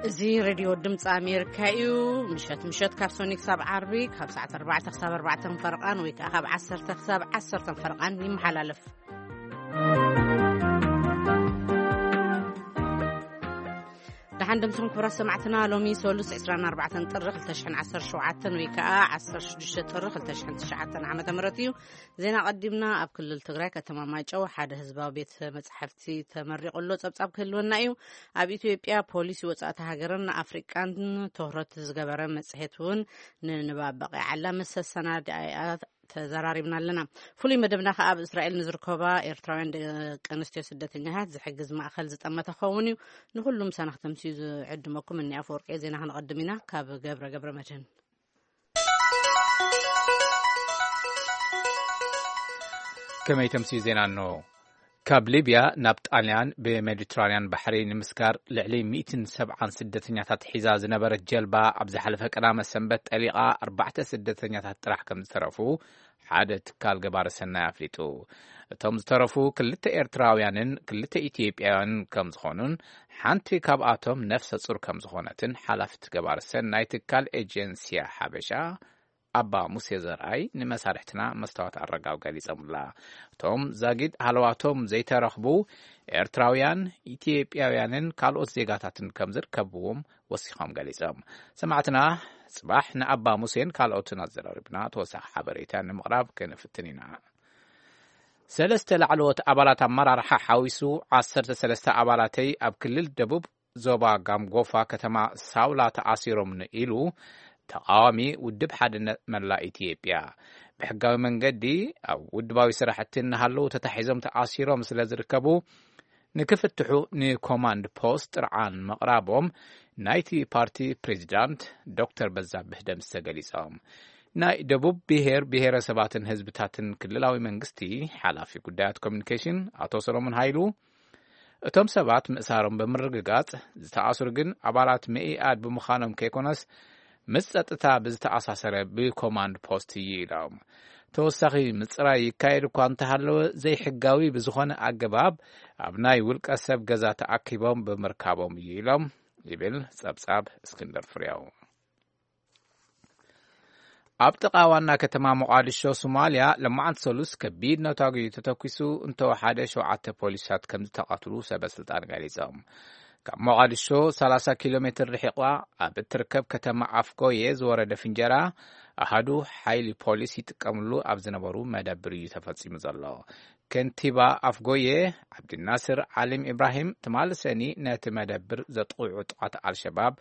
እዚ ሬድዮ ድምፂ ኣሜሪካ እዩ። ምሸት ምሸት ካብ ሶኒ ክሳብ ዓርቢ ካብ ሰዓት ኣርባዕተ ክሳብ ኣርባዕተ ፈርቓን ወይ ከዓ ካብ ዓሰርተ ክሳብ ዓሰርተ ፈርቓን ይመሓላለፍ። ደሓን ደምስኹም ክቡራት ሰማዕትና። ሎሚ ሰሉስ ዕስራን ኣርባዕተን ጥሪ ክልተ ሽሕን ዓሰርተ ሸውዓተን ወይ ከዓ ዓሰርተ ሽዱሽተ ጥሪ ክልተ ሽሕን ትሽዓተን ዓመተ ምህረት እዩ። ዜና ቀዲምና። ኣብ ክልል ትግራይ ከተማ ማይጨው ሓደ ህዝባዊ ቤት መጻሕፍቲ ተመሪቑ ኣሎ። ጸብጻብ ክህልወና እዩ። ኣብ ኢትዮጵያ ፖሊሲ ወጻእቲ ሃገርን ኣፍሪቃን ትኹረት ዝገበረ መጽሔት እውን ንንባብ በቒዓላ። ምስ ኣሰናዳኢኣ ተዘራሪብና ኣለና። ፍሉይ መደብና ከኣ ኣብ እስራኤል ንዝርከባ ኤርትራውያን ደቂ ኣንስትዮ ስደተኛታት ዝሕግዝ ማእከል ዝጠመተ ክኸውን እዩ። ንኹሉም ሰናኽቲ ምስኡ ዝዕድመኩም እኒ ኣፈወርቂ ዜና ክንቐድም ኢና። ካብ ገብረ ገብረ መድህን። ከመይ ተምስዩ ዜና እንሆ። ካብ ሊብያ ናብ ጣልያን ብሜዲትራንያን ባሕሪ ንምስጋር ልዕሊ ሚእትን ሰብዓን ስደተኛታት ሒዛ ዝነበረት ጀልባ ኣብ ዝሓለፈ ቀዳመ ሰንበት ጠሊቓ ኣርባዕተ ስደተኛታት ጥራሕ ከም ዝተረፉ ሓደ ትካል ገባሪ ሰናይ ኣፍሊጡ። እቶም ዝተረፉ ክልተ ኤርትራውያንን ክልተ ኢትዮጵያውያንን ከም ዝኾኑን ሓንቲ ካብኣቶም ነፍሰ ጹር ከም ዝኾነትን ሓላፊት ገባሪ ሰናይ ትካል ኤጀንስያ ሓበሻ ኣባ ሙሴ ዘርኣይ ንመሳርሕትና መስታወት ኣረጋው ገሊጾምላ። እቶም ዛጊድ ሃለዋቶም ዘይተረኽቡ ኤርትራውያን፣ ኢትዮጵያውያንን ካልኦት ዜጋታትን ከም ዝርከብዎም ወሲኾም ገሊጾም። ሰማዕትና ጽባሕ ንኣባ ሙሴን ካልኦትን ኣዘራሪብና ተወሳኺ ሓበሬታ ንምቕራብ ክንፍትን ኢና። ሰለስተ ላዕለዎት ኣባላት ኣመራርሓ ሓዊሱ ዓሰርተ ሰለስተ ኣባላተይ ኣብ ክልል ደቡብ ዞባ ጋምጎፋ ከተማ ሳውላ ተኣሲሮም ኢሉ ተቃዋሚ ውድብ ሓድነት መላእ ኢትዮጵያ። ብሕጋዊ መንገዲ ኣብ ውድባዊ ስራሕቲ እናሃለዉ ተታሒዞም ተኣሲሮም ስለ ዝርከቡ ንክፍትሑ ንኮማንድ ፖስት ጥርዓን ምቕራቦም ናይቲ ፓርቲ ፕሬዚዳንት ዶክተር በዛብህ ደምሰ ገሊጾም። ናይ ደቡብ ብሔር ብሔረሰባትን ህዝብታትን ክልላዊ መንግስቲ ሓላፊ ጉዳያት ኮሚኒኬሽን ኣቶ ሰሎሞን ሃይሉ፣ እቶም ሰባት ምእሳሮም ብምርግጋጽ፣ ዝተኣስሩ ግን ኣባላት መኢኣድ ብምዃኖም ከይኮነስ፣ ምስ ጸጥታ ብዝተኣሳሰረ ብኮማንድ ፖስት እዩ ኢሎም። ተወሳኺ ምጽራይ ይካየድ እኳ እንተሃለወ፣ ዘይሕጋዊ ብዝኾነ ኣገባብ ኣብ ናይ ውልቀ ሰብ ገዛ ተኣኪቦም ብምርካቦም እዩ ኢሎም ይብል ጸብጻብ እስክንድር ፍሬው። ኣብ ጥቓ ዋና ከተማ ሞቓዲሾ ሶማልያ፣ ለማዓንቲ ሰሉስ ከቢድ ነታጒ ተተኲሱ እንተወሓደ ሸውዓተ ፖሊሳት ከም ዝተቐትሉ ሰበ ስልጣን ገሊጾም። ካብ ሞቓዲሾ ሰላሳ ኪሎ ሜትር ርሒቓ ኣብ እትርከብ ከተማ ኣፍጎየ ዝወረደ ፍንጀራ ኣሃዱ ሓይሊ ፖሊስ ይጥቀምሉ ኣብ ዝነበሩ መደብር እዩ ተፈጺሙ ዘሎ። ከንቲባ ኣፍጎየ ዓብድናስር ዓሊም ኢብራሂም ትማሊ ሰኒ ነቲ መደብር ዘጥቕዑ ዕጡቓት ኣልሸባብ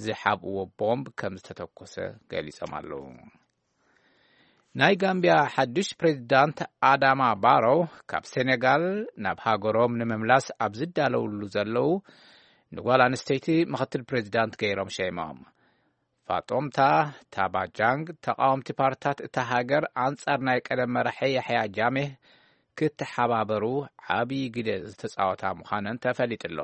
ዝሓብእዎ ቦምብ ከም ዝተተኮሰ ገሊጾም ኣለዉ። ናይ ጋምቢያ ሓድሽ ፕሬዚዳንት ኣዳማ ባሮ ካብ ሴኔጋል ናብ ሃገሮም ንምምላስ ኣብ ዝዳለውሉ ዘለዉ ንጓል ኣንስተይቲ ምኽትል ፕሬዚዳንት ገይሮም ሸይሞም። ፋጦምታ ታባጃንግ ተቃወምቲ ፓርትታት እታ ሃገር ኣንጻር ናይ ቀደም መራሒ ያሕያ ጃሜህ ክተሓባበሩ ዓብዪ ግደ ዝተጻወታ ምዃነን ተፈሊጡ ኣሎ።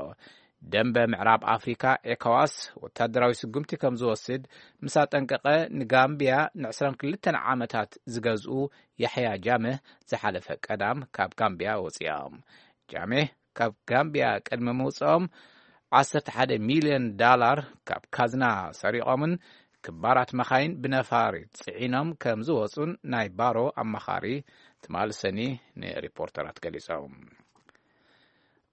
ደንበ ምዕራብ ኣፍሪካ ኤኮዋስ ወታደራዊ ስጉምቲ ከም ዝወስድ ምስ ኣጠንቀቐ፣ ንጋምቢያ ንዕስራን ክልተን ዓመታት ዝገዝኡ ያሕያ ጃምህ ዝሓለፈ ቀዳም ካብ ጋምቢያ ወፂኦም። ጃምህ ካብ ጋምቢያ ቅድሚ ምውፅኦም ዓሰርተ ሓደ ሚልዮን ዳላር ካብ ካዝና ሰሪቖምን ክባራት መኻይን ብነፋሪት ጽዒኖም ከም ዝወጹን ናይ ባሮ ኣማኻሪ ትማሊ ሰኒ ንሪፖርተራት ገሊጾም።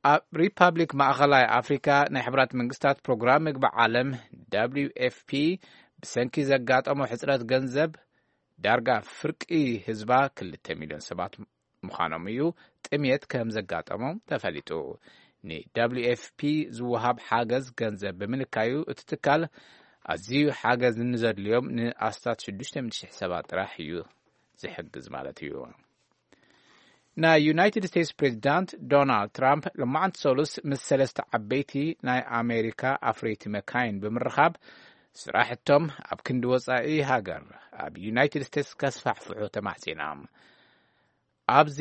ኣብ ሪፓብሊክ ማእኸላይ ኣፍሪካ ናይ ሕብራት መንግስታት ፕሮግራም ምግቢ ዓለም ደብሊው ኤፍ ፒ ብሰንኪ ዘጋጠሞ ሕፅረት ገንዘብ ዳርጋ ፍርቂ ህዝባ ክልተ ሚልዮን ሰባት ምዃኖም እዩ ጥሜት ከም ዘጋጠሞም ተፈሊጡ። ን ደብሊው ኤፍ ፒ ዝወሃብ ሓገዝ ገንዘብ ብምንካዩ እቲ ትካል ኣዝዩ ሓገዝ ንዘድልዮም ንኣስታት ሽዱሽተ ሚእቲ ሽሕ ሰባት ጥራሕ እዩ ዝሕግዝ ማለት እዩ። ናይ ዩናይትድ ስቴትስ ፕሬዚዳንት ዶናልድ ትራምፕ ሎማዓንቲ ሰሉስ ምስ ሰለስተ ዓበይቲ ናይ ኣሜሪካ ኣፍረይቲ መካይን ብምርኻብ ስራሕቶም ኣብ ክንዲ ወፃኢ ሃገር ኣብ ዩናይትድ ስቴትስ ከስፋሕፍሑ ተማሕፂኖም። ኣብዚ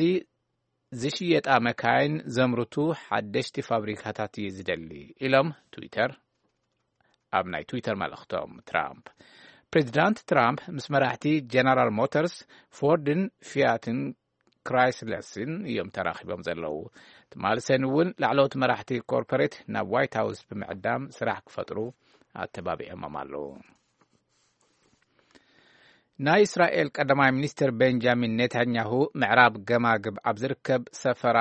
ዝሽየጣ መካይን ዘምርቱ ሓደሽቲ ፋብሪካታት እየ ዝደሊ ኢሎም ትዊተር ኣብ ናይ ትዊተር መልእኽቶም ትራምፕ። ፕሬዚዳንት ትራምፕ ምስ መራሕቲ ጀነራል ሞተርስ፣ ፎርድን ፊያትን ክራይስለስን እዮም ተራኺቦም ዘለዉ። ትማሊ ሰኒ እውን ላዕለዎት መራሕቲ ኮርፖሬት ናብ ዋይት ሃውስ ብምዕዳም ስራሕ ክፈጥሩ ኣተባቢዖሞም ኣለዉ። ናይ እስራኤል ቀዳማይ ሚኒስትር ቤንጃሚን ኔታንያሁ ምዕራብ ገማግብ ኣብ ዝርከብ ሰፈራ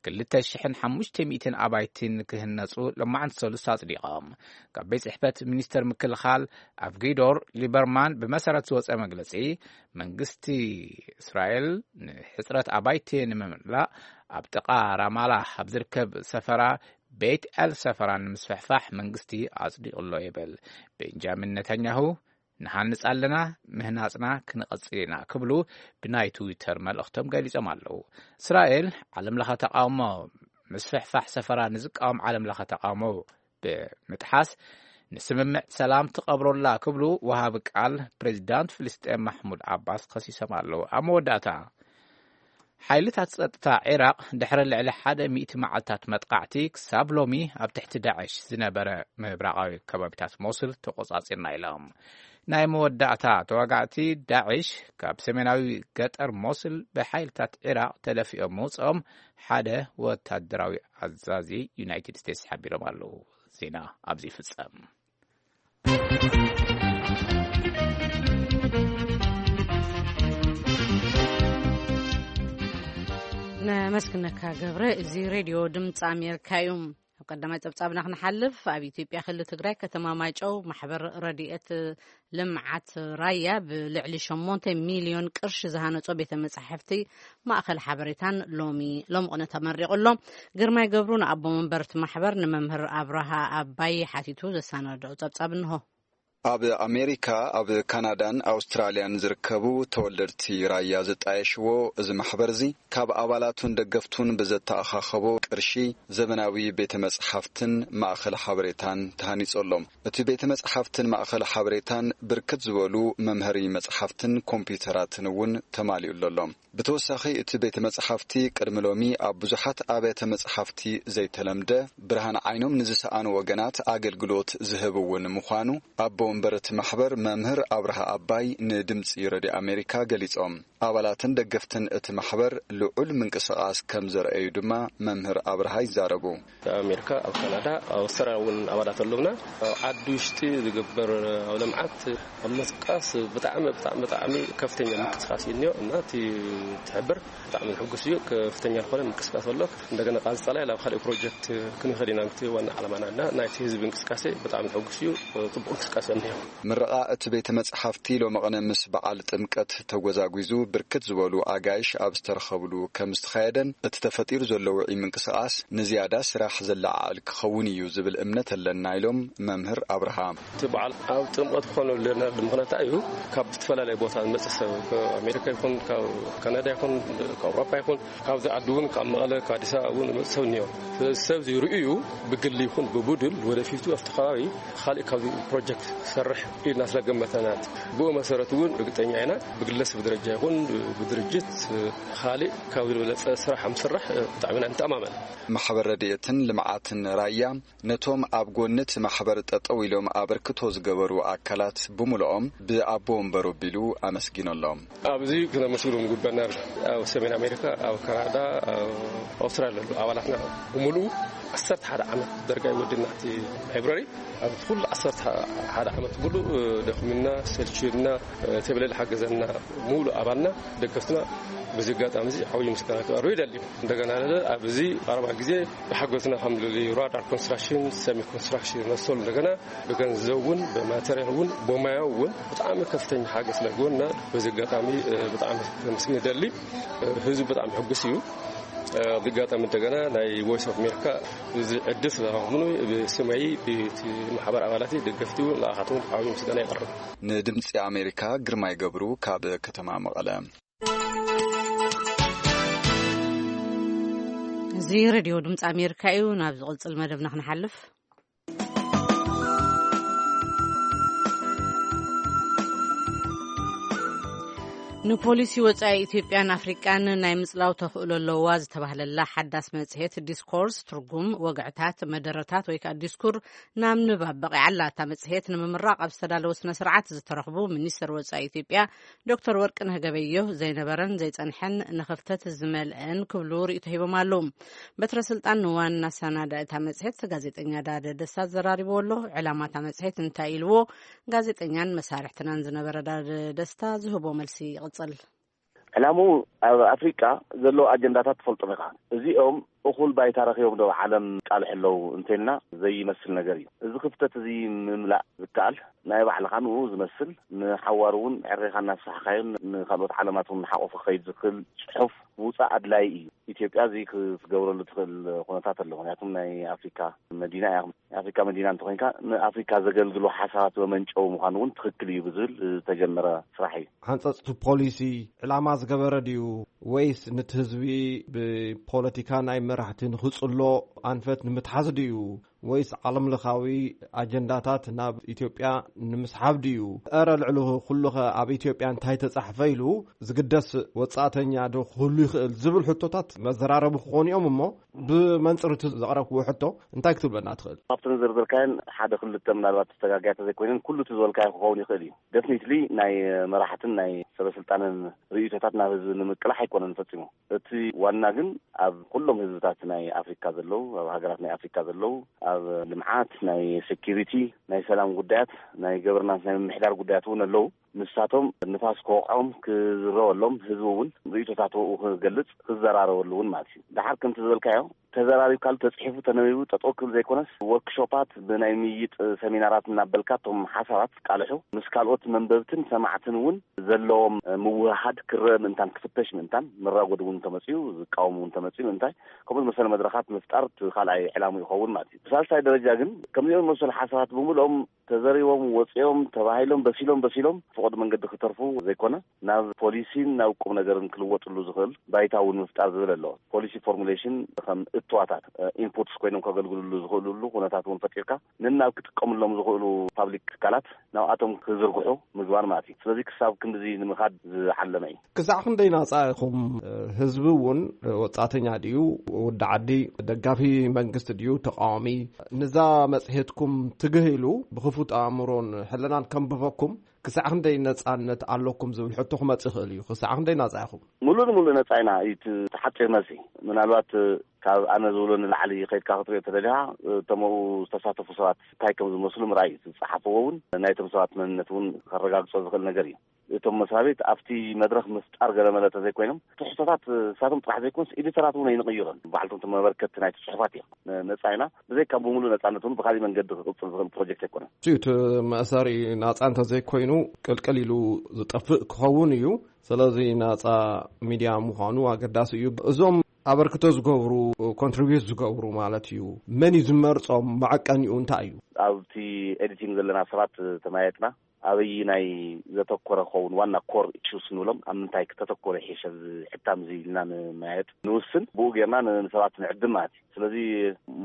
ክልተ ሽሕን ሓሙሽተ ሚእትን ኣባይቲ ንክህነጹ ሎማዕንቲ ሰሉስ ኣጽዲቖም። ካብ ቤት ጽሕፈት ሚኒስተር ምክልኻል ኣቪጊዶር ሊበርማን ብመሰረት ዝወጸ መግለጺ፣ መንግስቲ እስራኤል ንሕጽረት ኣባይቲ ንምምላእ ኣብ ጥቓ ራማላ ኣብ ዝርከብ ሰፈራ ቤት ኤል ሰፈራ ንምስፍሕፋሕ መንግስቲ ኣጽዲቑ ኣሎ ይብል። ቤንጃሚን ኔታንያሁ ንሃንጽ ኣለና፣ ምህናጽና ክንቐጽል ኢና ክብሉ ብናይ ትዊተር መልእኽቶም ገሊጾም ኣለዉ። እስራኤል ዓለም ለኸ ተቃውሞ ምስፍሕፋሕ ሰፈራ ንዝቃወም ዓለም ለኸ ተቃውሞ ብምጥሓስ ንስምምዕ ሰላም ትቐብሮላ ክብሉ ወሃቢ ቃል ፕሬዚዳንት ፍልስጤም ማሕሙድ ዓባስ ከሲሶም ኣለዉ። ኣብ መወዳእታ ሓይልታት ጸጥታ ዒራቕ ድሕሪ ልዕሊ ሓደ ሚእቲ መዓልታት መጥቃዕቲ ክሳብ ሎሚ ኣብ ትሕቲ ዳዕሽ ዝነበረ ምብራቓዊ ከባቢታት ሞስል ተቖጻጺርና ኢሎም። ናይ መወዳእታ ተዋጋእቲ ዳዕሽ ካብ ሰሜናዊ ገጠር ሞስል ብሓይልታት ዒራቕ ተደፊኦም ምውጽኦም ሓደ ወታደራዊ ኣዛዚ ዩናይትድ ስቴትስ ሓቢሮም ኣለዉ። ዜና ኣብዚ ይፍጸም። ነመስግነካ ገብረ። እዚ ሬድዮ ድምፂ ኣሜሪካ እዩ። ኣብ ቀዳማይ ፀብፃብና ክንሓልፍ፣ ኣብ ኢትዮጵያ ክልል ትግራይ ከተማ ማይጨው ማሕበር ረድኤት ልምዓት ራያ ብልዕሊ ሸሞንተ ሚልዮን ቅርሺ ዝሃነጾ ቤተ መጻሕፍቲ ማእኸል ሓበሬታን ሎሚ ሎምቕነ ተመሪቑ ኣሎ። ግርማይ ገብሩ ንኣቦ መንበርቲ ማሕበር ንመምህር ኣብርሃ ኣባይ ሓቲቱ ዘሰናድኦ ጸብጻብ እንሆ። ኣብ ኣሜሪካ፣ ኣብ ካናዳን ኣውስትራልያን ዝርከቡ ተወለድቲ ራያ ዝጣየሽዎ እዚ ማሕበር እዚ ካብ ኣባላቱን ደገፍቱን ብዘተኣኻኸቦ ቅርሺ ዘመናዊ ቤተ መጽሓፍትን ማእኸል ሓበሬታን ተሃኒጹ ኣሎ። እቲ ቤተ መጽሓፍትን ማእኸል ሓበሬታን ብርክት ዝበሉ መምሃሪ መጽሓፍትን ኮምፒውተራትን እውን ተማሊኡ ኣሎ። ብተወሳኺ እቲ ቤተ መጽሓፍቲ ቅድሚ ሎሚ ኣብ ብዙሓት ኣብያተ መጽሓፍቲ ዘይተለምደ ብርሃን ዓይኖም ንዝሰኣኑ ወገናት ኣገልግሎት ዝህብ እውን ምዃኑ ኣቦ ወንበር እቲ ማሕበር መምህር ኣብርሃ ኣባይ ንድምጺ ረድዮ ኣሜሪካ ገሊጾም። ኣባላትን ደገፍትን እቲ ማሕበር ልዑል ምንቅስቓስ ከም ዘርአዩ ድማ መምህር ኣብርሃ ይዛረቡ። ኣብ ኣሜሪካ፣ ኣብ ካናዳ፣ ኣብ ኣውስትራልያ እውን ኣባላት ኣለውና። ኣብ ዓዲ ውሽጢ ዝግበር ኣብ ልምዓት፣ ኣብ ምንቅስቃስ ብጣዕሚ፣ ብጣዕሚ፣ ብጣዕሚ ከፍተኛ ምንቅስቃስ እዩ እኒኦ እና እቲ ትሕብር ብጣዕሚ ዝሕጉስ እዩ። ከፍተኛ ዝኾነ ምንቅስቃስ ኣሎ። እንደገና ቃንስጣላይ ናብ ካልእ ፕሮጀክት ክንኸድ ኢና፣ ምክቲ ዋና ዓላማና እና ናይቲ ህዝቢ እንቅስቃሴ ብጣዕሚ ዝሕጉስ እዩ። ጽቡቕ እንቅስቃሴ እኒኦ። ምረቓ እቲ ቤተ መጽሓፍቲ ሎመቕነ ምስ በዓል ጥምቀት ተጎዛጒዙ ብርክት ዝበሉ ኣጋይሽ ኣብ ዝተረኸብሉ ከም ዝተኻየደን እቲ ተፈጢሩ ዘሎ ውዑይ ምንቅስቓስ ንዝያዳ ስራሕ ዘለዓዕል ክኸውን እዩ ዝብል እምነት ኣለና ኢሎም መምህር ኣብርሃ። እቲ በዓል ኣብ ጥምቀት ክኾን ኣለና ምኽንያት እዩ። ካብ ዝተፈላለየ ቦታ ዝመጽእ ሰብ፣ ካብ ኣሜሪካ ይኹን፣ ካብ ካናዳ ይኹን፣ ካብ ኣውሮፓ ይኹን፣ ካብዚ ዓዲ እውን፣ ካብ መቐለ፣ ካብ ኣዲስ ኣበባ እውን ዝመጽእ ሰብ እኒኦ። ስለዚ ሰብ እዚ ርእዩ ብግሊ ይኹን ብቡድን ወደፊቱ ኣብቲ ከባቢ ካልእ ካብዚ ፕሮጀክት ክሰርሕ ኢልና ስለገመተና፣ ብኡ መሰረት እውን ርግጠኛ ኢና፣ ብግለሰብ ደረጃ ይኹን ብድርጅት ካልእ ካብዚ ዝበለጸ ስራሕ ምስራሕ ብጣዕሚ ኢና ንተኣማመን። ማሕበር ረድኤትን ልምዓትን ራያ ነቶም ኣብ ጎኒ እቲ ማሕበር ጠጠው ኢሎም ኣበርክቶ ዝገበሩ ኣካላት ብምልኦም ብኣቦ ወንበሩ ኣቢሉ ኣመስጊኖሎም። ኣብዚ ክነመስግኖም ዝግበና ኣብ ሰሜን ኣሜሪካ፣ ኣብ ካናዳ፣ ኣብ ኣውስትራልያ ዘለዉ ኣባላትና ብምሉኡ ዓሰርተ ሓደ ዓመት ዳርጋ ይወድና እቲ ላይብረሪ። ኣብ ኩሉ ዓሰርተ ሓደ ዓመት ሙሉእ ደኽሚና፣ ሰልችዩና፣ ተብለል ሓገዘና ሙሉ ኣባልና፣ ደገፍትና በዚ ኣጋጣሚ እዚ ዓብዪ ምስጋና ክቐርብ ይደሊ። እንደገና ኣብዚ ቀረባ ግዜ ብሓገዝና ከም ልሊ ራዳር ኮንስትራክሽን፣ ሰሚ ኮንስትራክሽን መሰሉ እንደገና ብገንዘብ እውን ብማቴሪያል እውን ብሞያዊ እውን ብጣዕሚ ከፍተኛ ሓገዝ ስለገበሩና በዚ ኣጋጣሚ ብጣዕሚ ከመስግን ይደሊ። ህዝቢ ብጣዕሚ ሕጉስ እዩ። ብጋጣሚ እንደገና ናይ ቮይስ ኦፍ ኣሜሪካ እዚ ዕድል ስለረኸብኩ ብስመይ ብቲ ማሕበር ኣባላተይ ደገፍቲ እውን ንኣኻትኩም ዓብዪ ምስጋና የቕርብ። ንድምፂ ኣሜሪካ ግርማይ ገብሩ ካብ ከተማ መቐለ። እዚ ሬድዮ ድምፂ ኣሜሪካ እዩ። ናብ ዝቕፅል መደብና ክንሓልፍ። ንፖሊሲ ወጻኢ ኢትዮጵያን ኣፍሪቃን ናይ ምጽላው ተኽእሎ ኣለዋ ዝተባህለላ ሓዳስ መጽሔት ዲስኮርስ፣ ትርጉም ወግዕታት፣ መደረታት ወይ ከኣ ዲስኩር ናብ ንባብ በቒዓ ኣላ። እታ መጽሔት ንምምራቕ ኣብ ዝተዳለወ ስነ ስርዓት ዝተረኽቡ ሚኒስትር ወጻኢ ኢትዮጵያ ዶክተር ወርቅነህ ገበየሁ፣ ዘይነበረን ዘይጸንሐን ንኽፍተት ዝመልአን ክብሉ ርእይቶ ሂቦም ኣለዉ። በትረ ስልጣን ንዋና ኣሰናዳኢ እታ መጽሔት ጋዜጠኛ ዳደ ደስታ ዘራሪብዎ ኣሎ። ዕላማ እታ መጽሔት እንታይ ኢልዎ? ጋዜጠኛን መሳርሕትናን ዝነበረ ዳደ ደስታ ዝህቦ መልሲ ይቕጽል። ዕላምኡ ኣብ ኣፍሪቃ ዘለዉ ኣጀንዳታት ትፈልጦም ኢኻ። እዚኦም እኹል ባይታ ረኺቦም ዶ ኣብ ዓለም ቃልሑ ኣለዉ እንተልና ዘይመስል ነገር እዩ። እዚ ክፍተት እዚ ምምላእ ዝከኣል ናይ ባዕልኻ ንኡ ዝመስል ንሓዋሩ እውን ዕሬኻ እናስፋሕካዮን ንኻልኦት ዓለማት እውን ሓቆፉ ክኸይድ ዝኽእል ጽሑፍ ምውጻእ ኣድላዪ እዩ። ኢትዮጵያ እዚ ክትገብረሉ ትኽእል ኩነታት ኣሎ። ምክንያቱም ናይ ኣፍሪካ መዲና እያ። ናይ ኣፍሪካ መዲና እንተኮይንካ ንኣፍሪካ ዘገልግሉ ሓሳባት መመንጨዊ ምዃኑ እውን ትኽክል እዩ ብዝብል ዝተጀመረ ስራሕ እዩ። ሓንፀፅቲ ፖሊሲ ዕላማ ዝገበረ ድዩ ወይስ ንቲ ህዝቢ ብፖለቲካ ናይ መራሕቲ ንኽፅሎ ኣንፈት ንምትሓዝ ድዩ ወይስ ዓለም ለኻዊ ኣጀንዳታት ናብ ኢትዮጵያ ንምስሓብ ድዩ? እረ ልዕሊ ኩሉኸ ኣብ ኢትዮጵያ እንታይ ተጻሕፈ ኢሉ ዝግደስ ወጻእተኛ ዶ ክህሉ ይኽእል ዝብል ሕቶታት መዘራረቢ ክኾኑ እዮም እሞ ብመንጽር እቲ ዘቕረብክዎ ሕቶ እንታይ ክትብለና ትኽእል? ካብቲ ንዘርዘርካየን ሓደ ክልተ ምናልባት ተስተጋግያ ተዘይኮይነን ኩሉ እቲ ዝበልካዮ ክኸውን ይኽእል እዩ። ደፍኒትሊ ናይ መራሕትን ናይ ሰበስልጣንን ርእይቶታት ናብ ህዝቢ ንምቅላሕ ኣይኮነን ፈጺሙ። እቲ ዋና ግን ኣብ ኩሎም ህዝብታት ናይ ኣፍሪካ ዘለዉ፣ ኣብ ሃገራት ናይ ኣፍሪካ ዘለዉ፣ ኣብ ልምዓት፣ ናይ ሴኪሪቲ፣ ናይ ሰላም ጉዳያት፣ ናይ ገቨርናንስ፣ ናይ ምምሕዳር ጉዳያት እውን ኣለዉ። ንሳቶም ንፋስ ክወቕዖም ክዝረበሎም፣ ህዝቢ እውን ርእይቶታቱ ክገልጽ ክዘራረበሉ እውን ማለት እዩ። ደሓር ከምቲ ዝበልካዮ ተዘራሪብካሉ ተጽሒፉ ተነቢቡ ጠጠው ክብል ዘይኮነስ ወርክሾፓት ብናይ ምይጥ ሰሚናራት እናበልካ እቶም ሓሳባት ቃልሑ ምስ ካልኦት መንበብትን ሰማዕትን እውን ዘለዎም ምውህሃድ ክረአ ምእንታን ክፍተሽ ምእንታን መራጎዲ እውን ተመፅኡ ዝቃወሙ እውን ተመፅኡ ምእንታይ ከምኡ ዝመሰለ መድረኻት ምፍጣር እቲ ካልኣይ ዕላሙ ይኸውን ማለት እዩ። ብሳልሳይ ደረጃ ግን ከምዚኦም ዝመሰሉ ሓሳባት ብምልኦም ተዘሪቦም ወፂኦም ተባሂሎም በሲሎም በሲሎም ፍቑድ መንገዲ ክተርፉ ዘይኮነ ናብ ፖሊሲን ናብ ቁም ነገርን ክልወጥሉ ዝኽእል ባይታ እውን ምፍጣር ዝብል ኣለዎ። ፖሊሲ ፎርሙሌሽን ከም እትዋታት ኢንፑትስ ኮይኖም ከገልግልሉ ዝኽእልሉ ኩነታት እውን ፈጢርካ ንናብ ክጥቀምሎም ዝኽእሉ ፓብሊክ ትካላት ናብኣቶም ክዝርግሑ ምግባር ማለት እዩ። ስለዚ ክሳብ ክንድዚ ንምኻድ ዝዓለመ እዩ። ክሳዕ ክንደይ ናጻ ኢኹም? ህዝቢ እውን ወጻእተኛ ድዩ? ወዲ ዓዲ ደጋፊ መንግስቲ ድዩ? ተቃዋሚ? ንዛ መጽሔትኩም ትግህ ኢሉ ብኽፉት ኣእምሮን ሕልናን ከንብበኩም ክሳዕ ክንደይ ነጻነት ኣለኩም ዝብል ሕቶ ክመጽእ ይኽእል እዩ። ክሳዕ ክንደይ ናጻ ኢኹም? ሙሉእ ንሙሉእ ነጻ ኢና እዩ እቲ ሓፂር መልሲ። ምናልባት ካብ ኣነ ዝብሎ ንላዕሊ ከይድካ ክትሪኦ ተደሊኻ እቶም ኣብኡ ዝተሳተፉ ሰባት እንታይ ከም ዝመስሉ ምርኣይ እዩ። ዝፀሓፍዎ እውን ናይቶም ሰባት መንነት እውን ከረጋግፆ ዝኽእል ነገር እዩ። እቶም መስሪያ ቤት ኣብቲ መድረኽ ምፍጣር ገለመለ ተዘይኮይኖም ትሕዝቶታት ንሳቶም ጥራሕ ዘይኮንስ ኤዲተራት እውን ኣይንቕይሮን። ባዕልቶም እቲ መበርከቲ ናይቲ ፅሑፋት እዮም። ነፃ ኢና። ብዘይካ ብምሉእ ነፃነት እውን ብካሊእ መንገዲ ክቕፅል ዝኽእል ፕሮጀክት ኣይኮነን። እቲ መእሰሪ ናፃ እንተዘይኮይኑ ቅልቅል ኢሉ ዝጠፍእ ክኸውን እዩ። ስለዚ ናፃ ሚድያ ምዃኑ ኣገዳሲ እዩ። እዞም ኣበርክቶ ዝገብሩ ኮንትሪቢዩት ዝገብሩ ማለት እዩ መን እዩ ዝመርፆም? መዐቀኒኡ እንታይ እዩ? ኣብቲ ኤዲቲንግ ዘለና ሰባት ተመያየጥና ኣበይ ናይ ዘተኮረ ክኸውን ዋና ኮር ኢሹስ ንብሎም ኣብ ምንታይ ክተተኮረ ይሕሸ እዚ ሕታም እዚ ኢልና ንመያየጥ ንውስን ብኡ ጌርና ንሰባት ንዕድም ማለት እዩ። ስለዚ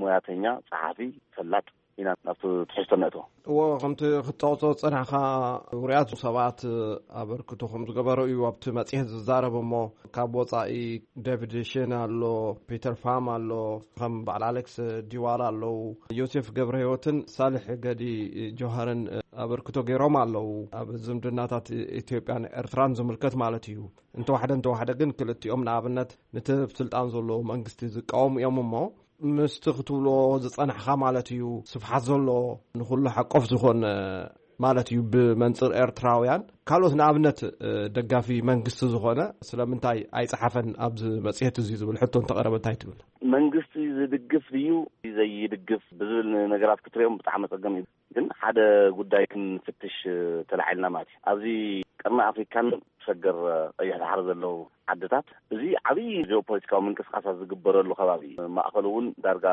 ሙያተኛ ፀሓፊ ፈላጥ ኢና ናብቲ ትሕዝቶ ነእቶ። እዎ ከምቲ ክትጠቕሶ ዝፀናሕካ ውሩያት ሰባት ኣበርክቶ ከም ዝገበሩ እዩ ኣብቲ መፅሄት ዝዛረብ እሞ ካብ ወፃኢ ዴቪድ ሽን ኣሎ፣ ፒተር ፋም ኣሎ፣ ከም በዓል ኣሌክስ ዲዋላ ኣለዉ፣ ዮሴፍ ገብረ ህይወትን ሳልሕ ገዲ ጆሃርን ኣበርክቶ ገይሮም ኣለዉ። ኣብ ዝምድናታት ኢትዮጵያን ኤርትራን ዝምልከት ማለት እዩ። እንተዋሕደ እንተዋሕደ ግን ክልቲኦም ንኣብነት ነቲ ኣብ ስልጣን ዘሎ መንግስቲ ዝቃወሙ እዮም እሞ ምስቲ ክትብሎ ዝጸናሕካ ማለት እዩ ስፍሓት ዘሎ ንኹሉ ሓቆፍ ዝኾነ ማለት እዩ ብመንጽር ኤርትራውያን ካልኦት ንኣብነት ደጋፊ መንግስቲ ዝኾነ ስለምንታይ ኣይጸሓፈን ኣብዚ መጽሔት እዚ ዝብል ሕቶ እንተቐረበ እንታይ ትብል? መንግስቲ ዝድግፍ ድዩ ዘይድግፍ ብዝብል ነገራት ክትሪኦም ብጣዕሚ ጸገም እዩ። ግን ሓደ ጉዳይ ክንፍትሽ ተላዒልና ማለት እዩ። ኣብዚ ቀርኒ ኣፍሪካን ሰገር ቀይሕ ባሕሪ ዘለዉ ዓድታት እዚ ዓብዪ ጂኦፖለቲካዊ ምንቅስቃሳት ዝግበረሉ ከባቢ እዩ። ማእኸሉ እውን ዳርጋ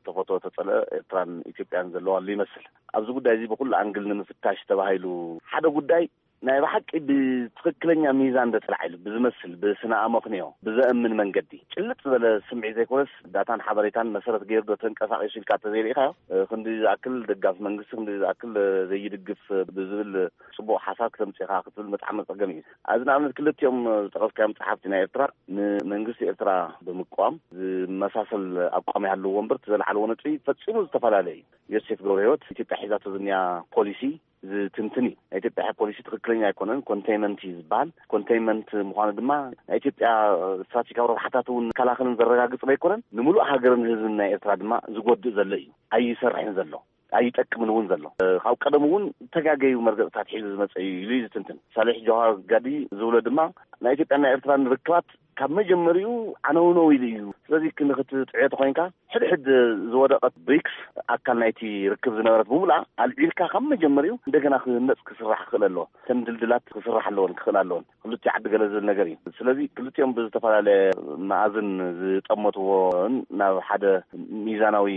ተፈትወ ተፀልአ ኤርትራን ኢትዮጵያን ዘለዋሉ ይመስል። ኣብዚ ጉዳይ እዚ ብኩሉ ኣንግል ንምፍታሽ ተባሂሉ ሓደ ጉዳይ ናይ ብሓቂ ብትኽክለኛ ሚዛን እንደ ጥራሕ ኢሉ ብዝመስል፣ ብስነ ኣመክንዮ ብዘእምን መንገዲ፣ ጭልጥ ዝበለ ስምዒት ዘይኮነስ፣ ዳታን ሓበሬታን መሰረት ገይሩ ዶ ተንቀሳቒሱ ኢልካ እንተዘይርኢኻዮ፣ እ፣ ክንዲ ዝኣክል ደጋፊ መንግስቲ፣ ክንዲ ዝኣክል፣ እ፣ ዘይድግፍ፣ እ፣ ብዝብል ጽቡቕ ሓሳብ ክተምጽእ ኢኻ ክትብል ብጣዕሚ ጸገም እዩ። ኣብዚ ንኣብነት ክልቲኦም ዝጠቐስካዮም ጸሓፍቲ ናይ ኤርትራ፣ ንመንግስቲ ኤርትራ ብምቅዋም ዝመሳሰል ኣቋም ይሃልዎ እምበር፣ እቲ ዘልዓልዎ ነጥቢ ፈጺሙ ዝተፈላለየ እዩ። ዮሴፍ ገብረህይወት ኢትዮጵያ ሒዛቶ ዝንያ ፖሊሲ ዝትንትን እዩ። ናይ ኢትዮጵያ ፖሊሲ ትኽክለኛ ኣይኮነን፣ ኮንቴይንመንት እዩ ዝበሃል። ኮንቴይንመንት ምዃኑ ድማ ናይ ኢትዮጵያ ስትራቴጂካዊ ረብሓታት እውን ዝከላኸልን ዘረጋግጽ ኣይኮነን፣ ንምሉእ ሃገርን ህዝብን ናይ ኤርትራ ድማ ዝጎድእ ዘሎ እዩ። ኣይሰርሕን ዘሎ፣ ኣይጠቅምን እውን ዘሎ። ካብ ቀደም እውን ተጋገዩ መርገጽታት ሒዙ ዝመጸ እዩ ኢሉ እዩ ዝትንትን። ሳሌሕ ጀዋር ጋዲ ዝብሎ ድማ ናይ ኢትዮጵያን ናይ ኤርትራን ርክባት ካብ መጀመሪኡ ዓነውነው ኢሉ እዩ። ስለዚ ክንክትጥዕዮ ተኾይንካ፣ ሕድሕድ ዝወደቐት ብሪክስ ኣካል ናይቲ ርክብ ዝነበረት ብምሉኣ ኣልዒልካ ካብ መጀመሪኡ እንደገና ክህነጽ ክስራሕ ክኽእል ኣለዎ። እተን ድልድላት ክስራሕ ኣለወን፣ ክኽእል ኣለወን። ክልቲኡ ዓዲ ገለ ዝብል ነገር እዩ። ስለዚ ክልቲኦም ብዝተፈላለየ መኣዝን ዝጠመትዎን ናብ ሓደ ሚዛናዊ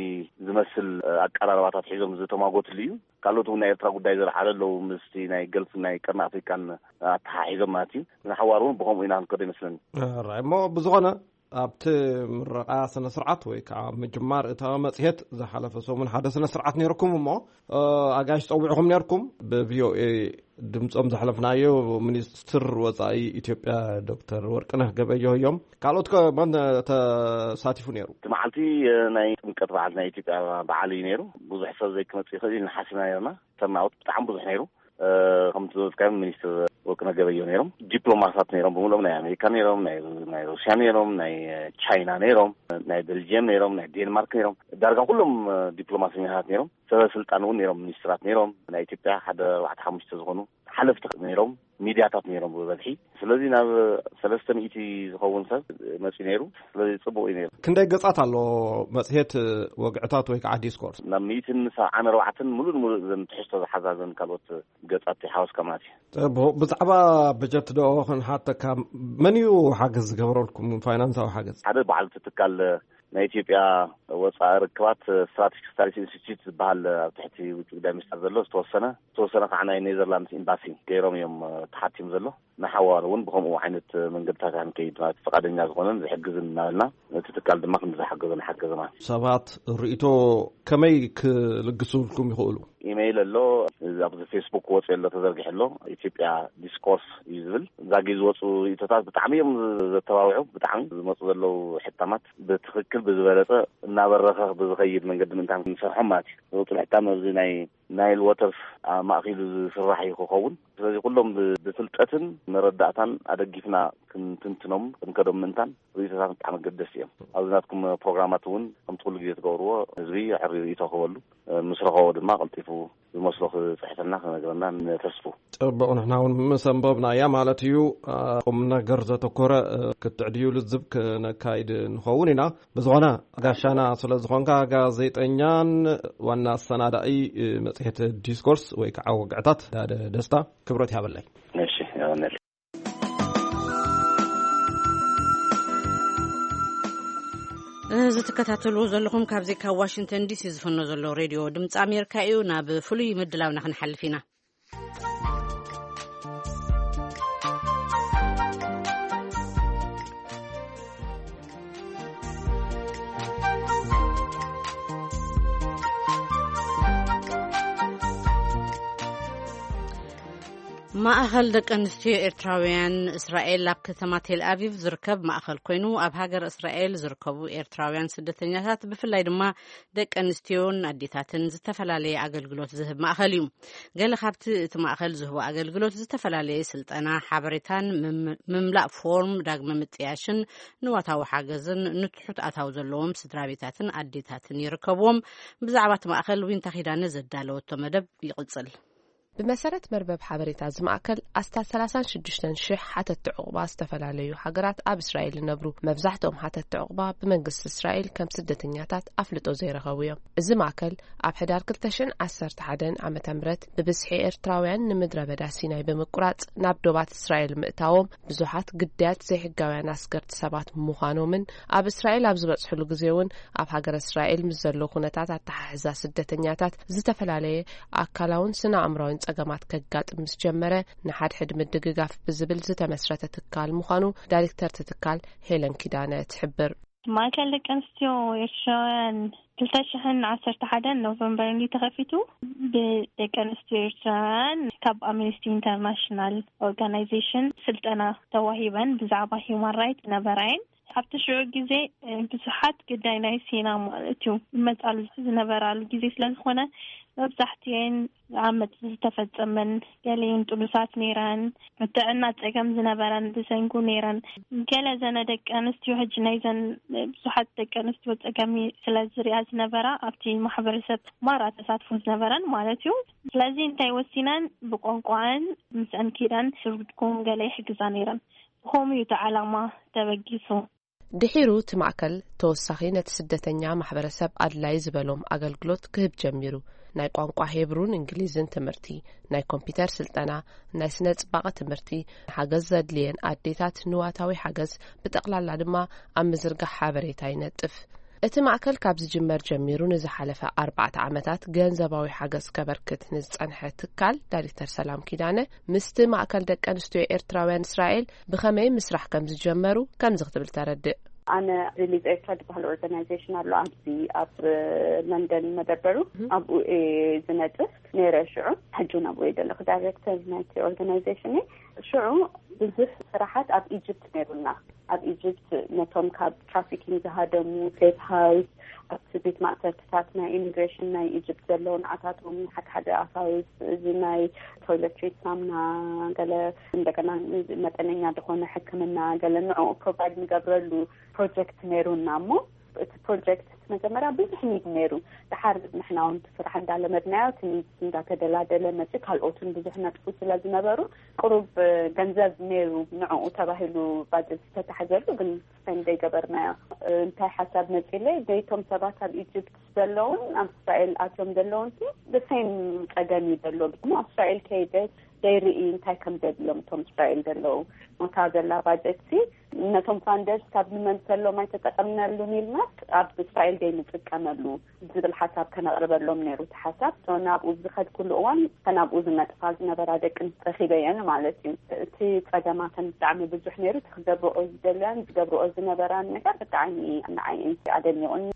ዝመስል ኣቀራርባታት ሒዞም ዝተማጎትሉ እዩ። ካልኦት እውን ናይ ኤርትራ ጉዳይ ዘልዓሉ ኣለዉ፣ ምስቲ ናይ ገልፍ ናይ ቀርኒ ኣፍሪቃን ኣተሓሒዞም ማለት እዩ። ንሓዋሩ እውን ብኸምኡ ኢና ክንከዶ ይመስለኒ። ራይ እሞ ብዝኾነ ኣብቲ ምረቓ ስነ ስርዓት ወይ ከዓ ምጅማር እታ መጽሔት ዝሓለፈ ሰሙን ሓደ ስነ ስርዓት ነይርኩም እሞ፣ እ፣ ኣጋይሽ ጸዊዕኹም ነይርኩም። ብቪኦኤ ድምጾም ዘሕለፍናዮ ሚኒስትር ወጻኢ ኢትዮጵያ ዶክተር ወርቅነህ ገበየሁ እዮም። ካልኦት ከ መን ተሳቲፉ ነይሩ? እቲ መዓልቲ፣ እ፣ ናይ ጥምቀት በዓል ናይ ኢትዮጵያ በዓል እዩ ነይሩ። ብዙሕ ሰብ ዘይክመጽእ ይኽእል እዩ ንሓሲብና ነይርና። ተርናውት ብጣዕሚ ብዙሕ ነይሩ። እ፣ ከምቲ ዝበልካዮም ሚኒስትር ወርቅነህ ገበየሁ ነይሮም፣ ዲፕሎማሳት ነይሮም፣ ብምሉኦም ናይ ኣሜሪካ ነይሮም፣ ናይ፣ ናይ ሩስያ ነይሮም፣ ናይ ቻይና ነይሮም፣ ናይ ቤልጅየም ነይሮም፣ ናይ ዴንማርክ ነይሮም። ዳርጋ ኩሎም፣ እ፣ ዲፕሎማሰኛታት ነይሮም። ሰበ ስልጣን እውን ነይሮም፣ ሚኒስትራት ነይሮም። ናይ ኢትዮጵያ ሓደ ኣርባዕተ ሓሙሽተ ዝኾኑ ሓለፍቲ ነይሮም፣ ሚድያታት ነይሮም ብበዝሒ። ስለዚ ናብ ሰለስተ ሚእቲ ዝኸውን ሰብ መፂኡ ነይሩ። ስለዚ ፅቡቅ እዩ ነይሩ። ክንደይ ገጻት ኣሎ መጽሔት ወግዕታት ወይ ከዓ ዲስኮርስ? ናብ ሚእትን ሰብዓን ኣርባዕተን ሙሉእ ንሙሉእ ዘን ትሕዝቶ ዝሓዛ ዘን ካልኦት ገጻት ይሓወስካ ማለት እዩ። ጽቡቕ። ብዛዕባ በጀት ዶ ክንሓተካ? መን እዩ ሓገዝ ዝገበረልኩም፣ ፋይናንሳዊ ሓገዝ? ሓደ በዓል እቲ ትካል ናይ ኢትዮጵያ ወጻኢ ርክባት ስትራቴጂክ ስታዲስ ኢንስቲትዩት ዝበሃል ኣብ ትሕቲ ውጭ ጉዳይ ሚኒስቴር ዘሎ ዝተወሰነ፣ ዝተወሰነ ከዓ ናይ ኔዘርላንድስ ኤምባሲ ገይሮም እዮም፣ እ፣ ተሓቲሙ ዘሎ። ንሓዋሩ እውን ብኸምኡ ዓይነት መንገድታት ክንከይድ ማለት ፍቓደኛ ዝኾነን ዝሕግዝን እናበልና፣ እቲ ትካል ድማ ክንዲ ዝሓገዞ ንሓገዘ ማለት እዩ። ሰባት ርእይቶ ከመይ ክልግሱልኩም ይኽእሉ? ኢሜይል ኣሎ፣ ኣብዚ ፌስቡክ ወፂኡ ኣሎ፣ ተዘርጊሑ ኣሎ። ኢትዮጵያ ዲስኮርስ እዩ ዝብል። ዛጊ ዝወፁ ርእይቶታት ብጣዕሚ እዮም ዘተባብዑ። ብጣዕሚ ዝመፁ ዘለዉ ሕታማት ብትኽክል ብዝበለፀ እናበረኸ ብዝኸይድ መንገዲ ምእንታን ክንሰርሖም ማለት እዩ። ዝወፁ ሕታም ኣብዚ ናይ ናይል ወተርስ ኣብ ማእኪሉ ዝስራሕ እዩ ክኸውን። ስለዚ ኩሎም ብ-፣ ብፍልጠትን መረዳእታን ኣደጊፍና ክንትንትኖም ክንከዶም ምእንታን ርእይቶታት ብጣዕሚ ኣገደስቲ እዮም። ኣብዚ ናትኩም ፕሮግራማት እውን ከምቲ ኩሉ ግዜ ትገብርዎ ህዝቢ ኣዕርዩ ርእይቶ ክህበሉ፣ ምስ ረኸቦ ድማ ቀልጢፉ ዝመስሎ ክጽሕፈልና ክነግረና ነተስፉ። ጽቡቕ፣ ንሕና እውን ምስ ኣንበብናያ ማለት እዩ። ቁም ነገር ዘተኮረ ክትዕድዩ ልዝብ ክነካይድ ንኸውን ኢና። ብዝኾነ ጋሻና ስለ ዝኾንካ ጋዜጠኛን ዋና ኣሰናዳኢ መጽሔት ዲስኮርስ ወይ ከዓ ወግዕታት ዳደ ደስታ ክብረት ይሃበለይ። እሺ፣ ይሃበለይ። እዚ ትከታተልዎ ዘለኹም ካብዚ ካብ ዋሽንግተን ዲሲ ዝፍኖ ዘሎ ሬድዮ ድምፂ ኣሜሪካ እዩ። ናብ ፍሉይ ምድላውና ክንሓልፍ ኢና። ማእኸል ደቂ ኣንስትዮ ኤርትራውያን እስራኤል ኣብ ከተማ ቴል ኣቪቭ ዝርከብ ማእኸል ኮይኑ፣ ኣብ ሃገር እስራኤል ዝርከቡ ኤርትራውያን ስደተኛታት፣ ብፍላይ ድማ ደቂ ኣንስትዮን ኣዴታትን፣ ዝተፈላለየ ኣገልግሎት ዝህብ ማእኸል እዩ። ገለ ካብቲ እቲ ማእኸል ዝህቦ ኣገልግሎት ዝተፈላለየ ስልጠና፣ ሓበሬታን ምም-፣ ምምላእ ፎርም ዳግመ ምጥያሽን ንዋታዊ ሓገዝን ንትሑት ኣታዊ ዘለዎም ስድራ ቤታትን ኣዴታትን ይርከብዎም። ብዛዕባ እቲ ማእኸል ዊንታ ኪዳነ ዘዳለወቶ መደብ ይቕጽል። ብመሰረት መርበብ ሓበሬታ እዚ ማእከል፣ ኣስታት ሰላሳን ሽዱሽተን ሽሕ ሓተትቲ ዑቕባ ዝተፈላለዩ ሃገራት ኣብ እስራኤል ይነብሩ። መብዛሕትኦም ሓተትቲ ዑቕባ ብመንግስቲ እስራኤል ከም ስደተኛታት ኣፍልጦ ዘይረኸቡ እዮም። እዚ ማእከል ኣብ ሕዳር ክልተ ሽሕን ዓሰርተ ሓደን ዓመተ ምህረት ብብዝሒ ኤርትራውያን ንምድረ በዳ ሲናይ ብምቁራጽ ናብ ዶባት እስራኤል ምእታዎም፣ ብዙሓት ግዳያት ዘይሕጋውያን ኣስገርቲ ሰባት ምዃኖምን ኣብ እስራኤል ኣብ ዝበጽሕሉ ግዜ እውን ኣብ ሃገረ እስራኤል ምስ ዘሎ ኩነታት ኣተሓሕዛ ስደተኛታት ዝተፈላለየ ኣካላውን ስነ ኣእምራውን ጸገማት ከጋጥም ምስ ጀመረ፣ ንሓድሕድ ምድግጋፍ ብዝብል ዝተመስረተ ትካል ምዃኑ ዳይሬክተር እቲ ትካል ሄለን ኪዳነ ትሕብር። ማእከል ደቂ ኣንስትዮ ኤርትራውያን ክልተ ሽሕን ዓሰርተ ሓደን ኖቨምበር እንዲ ተኸፊቱ፣ ብደቂ ኣንስትዮ ኤርትራውያን ካብ ኣምነስቲ ኢንተርናሽናል ኦርጋናይዜሽን ስልጠና ተዋሂበን ብዛዕባ ሂውማን ራይት ነበራየን። ኣብቲ ሽዑ ግዜ ብዙሓት ግዳይ ናይ ሴና ማለት እዩ መጻሉ ዝነበራሉ ግዜ ስለ ዝኾነ፣ መብዛሕትኤን ዓመጽ ዝተፈጸመን፣ ገሊኤን ጥኑሳት ነይረን፣ ጥዕና ጸገም ዝነበረን ብሰንኩ ነይረን። ገለ ዘነ ደቂ ኣንስትዮ፣ ሕጂ ናይዘን ብዙሓት ደቂ ኣንስትዮ ጸገም ስለ ዝሪኣ ዝነበራ፣ ኣብቲ ማሕበረሰብ ማራ ተሳትፎ ዝነበረን ማለት እዩ። ስለዚ እንታይ ወሲነን፣ ብቋንቋን ምስአን ኪዳን ስርጉድኩም ገለ ይሕግዛ ነይረን። ብኸምኡ እዩ እቲ ዓላማ ተበጊሱ። ድሒሩ እቲ ማእከል ተወሳኺ ነቲ ስደተኛ ማሕበረሰብ ኣድላይ ዝበሎም ኣገልግሎት ክህብ ጀሚሩ። ናይ ቋንቋ ሄብሩን እንግሊዝን ትምህርቲ፣ ናይ ኮምፒተር ስልጠና፣ ናይ ስነ ጽባቐ ትምህርቲ፣ ሓገዝ ዘድልየን ኣዴታት ንዋታዊ ሓገዝ፣ ብጠቕላላ ድማ ኣብ ምዝርጋሕ ሓበሬታ ይነጥፍ። እቲ ማእከል ካብ ዝጅመር ጀሚሩ ንዝሓለፈ ኣርባዕተ ዓመታት ገንዘባዊ ሓገዝ ከበርክት ንዝጸንሐ ትካል ዳይሬክተር ሰላም ኪዳነ፣ ምስቲ ማእከል ደቂ ኣንስትዮ ኤርትራውያን እስራኤል ብኸመይ ምስራሕ ከም ዝጀመሩ ከምዚ ክትብል ተረድእ። ኣነ ሪሊዝ ኤርትራ ዝበሃል ኦርጋናይዜሽን ኣሎ ኣብዚ ኣብ ለንደን መደበሩ፣ ኣብኡ እየ ዝነጥፍ ነይረ። ሽዑ ሕጂ እውን ኣብኡ እየ ዘለኹ፣ ዳይሬክተር ናይቲ ኦርጋናይዜሽን እየ። ሽዑ ብዙሕ ስራሓት ኣብ ኢጅፕት ነይሩና። ኣብ ኢጅፕት ነቶም ካብ ትራፊኪንግ ዝሃደሙ ሴፍ ሃውስ፣ ኣብቲ ቤት ማእሰርትታት ናይ ኢሚግሬሽን ናይ ኢጅፕት ዘለዉ ንዓታቶም ሓደ ሓደ ኣፋውስ፣ እዚ ናይ ቶይለትሪት ሳምና፣ ገለ እንደገና መጠነኛ ዝኾነ ሕክምና፣ ገለ ንዕኡ ፕሮቫይድ ንገብረሉ ፕሮጀክት ነይሩና። እሞ እቲ ፕሮጀክት መጀመርያ ብዙሕ ኒድ ነይሩ። ድሓር ንሕና እውን እቲ ስራሕ እንዳለመድናዮ፣ እቲ ኒድ እንዳተደላደለ መፅኡ፣ ካልኦትን ብዙሕ ነጥፉ ስለ ዝነበሩ፣ ቅሩብ ገንዘብ ነይሩ ንዕኡ ተባሂሉ ባጀት ዝተታሕዘሉ፣ ግን ስፔንድ ዘይገበርናዮ። እንታይ ሓሳብ መፂለይ፣ ነይቶም ሰባት ኣብ ኢጅፕት ዘለውን ኣብ እስራኤል ኣትዮም ዘለውን ሲ ብሴም ጸገም እዩ ዘሎ። እሞ ኣብ እስራኤል ከይደ ዘይርኢ እንታይ ከም ዘድሎም እቶም እስራኤል ዘለዉ፣ ሞታ ዘላ ባጀት ሲ ነቶም ፋንደርስ ካብ ንመልሰሎም ኣይተጠቐምናሉን ኢልናስ ኣብ እስራኤል ዘይንጥቀመሉ ዝብል ሓሳብ ከነቕርበሎም ነይሩ እቲ ሓሳብ። ሶ ናብኡ ዝኸድኩሉ እዋን ከናብኡ ዝነጥፋ ዝነበራ ደቂ ኣንስትዮ ረኺበየን ማለት እዩ። እቲ ጸገማተን ብጣዕሚ ብዙሕ ነይሩ። እቲ ክገብርኦ ዝደልያን ዝገብርኦ ዝነበራን ነገር ብጣዕሚ ንዓይ ኣደኒቑኒ።